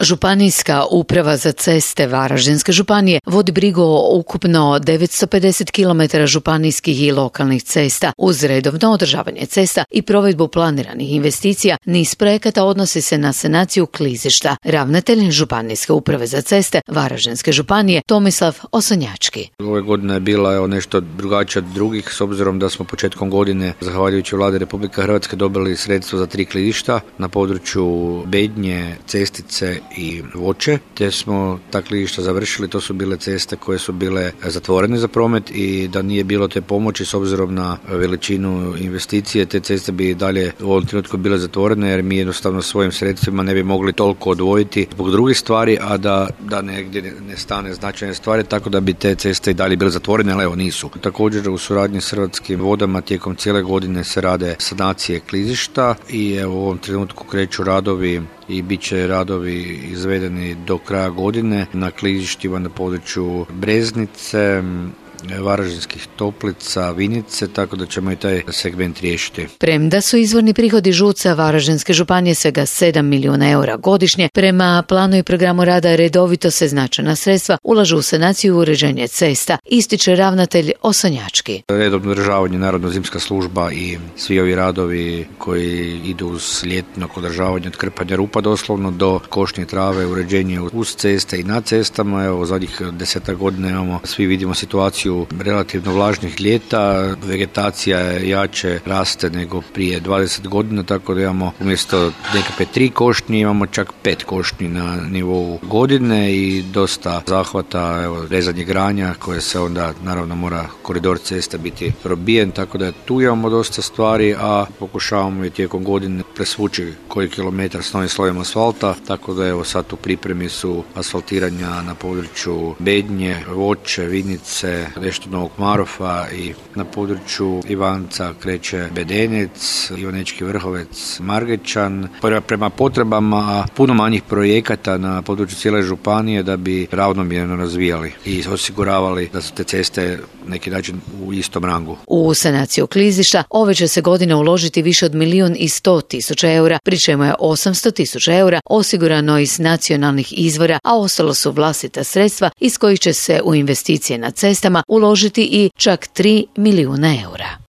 Županijska uprava za ceste Varaždinske županije vodi brigu o ukupno 950 km županijskih i lokalnih cesta. Uz redovno održavanje cesta i provedbu planiranih investicija, niz projekata odnosi se na sanaciju klizišta. Ravnatelj Županijske uprave za ceste Varaždinske županije Tomislav Osonjački. Ove godine je bila nešto drugačija od drugih, s obzirom da smo početkom godine, zahvaljujući Vladi Republike Hrvatske, dobili sredstva za 3 klizišta na području Bednje, Cestice i Voće, te smo ta klizišta završili. To su bile ceste koje su bile zatvorene za promet i da nije bilo te pomoći s obzirom na veličinu investicije, te ceste bi dalje u ovom trenutku bile zatvorene jer mi jednostavno svojim sredstvima ne bi mogli toliko odvojiti zbog drugih stvari, a da negdje ne stane značajne stvari, tako da bi te ceste i dalje bile zatvorene, ali evo nisu. Također u suradnji s Hrvatskim vodama tijekom cijele godine se rade sanacije klizišta i evo u ovom trenutku kreću radovi i bit će radovi izvedeni do kraja godine na klizištima na području Breznice, Varaždinskih Toplica, Vinice, tako da ćemo i taj segment riješiti. Premda su izvorni prihodi ŽUC-a Varaždinske županije svega 7 milijuna eura godišnje, prema planu i programu rada redovito se značajna sredstva ulažu u sanaciju i uređenje cesta, ističe ravnatelj Osonjački. Redovno održavanje, naravno zimska služba i svi ovi radovi koji idu uz ljetno održavanje od krpanja rupa doslovno do košnje trave, uređenje uz ceste i na cestama. Evo, zadnjih 10 godina imamo, svi vidimo situaciju relativno vlažnih ljeta, vegetacija jače raste nego prije 20 godina, tako da imamo umjesto nekakve 3 košnje imamo čak 5 košnji na nivou godine i dosta zahvata, evo, rezanje granja koje se onda naravno mora koridor cesta biti probijen, tako da tu imamo dosta stvari, a pokušavamo i tijekom godine presvući koji kilometar s novim slojem asfalta, tako da evo sad u pripremi su asfaltiranja na području Bednje, Voće, Vinice, nešto Novog Marofa i na području Ivanca kreće Bedenec, Ivanečki Vrhovec, Margećan. Prema potrebama puno manjih projekata na području cijele županije da bi ravnomjerno razvijali i osiguravali da su te ceste neki način u istom rangu. U sanaciju klizišta ove će se godine uložiti više od 1.100.000 eura, pri čemu je 800.000 eura osigurano iz nacionalnih izvora, a ostalo su vlastita sredstva iz kojih će se u investicije na cestama uložiti i čak 3 milijuna eura.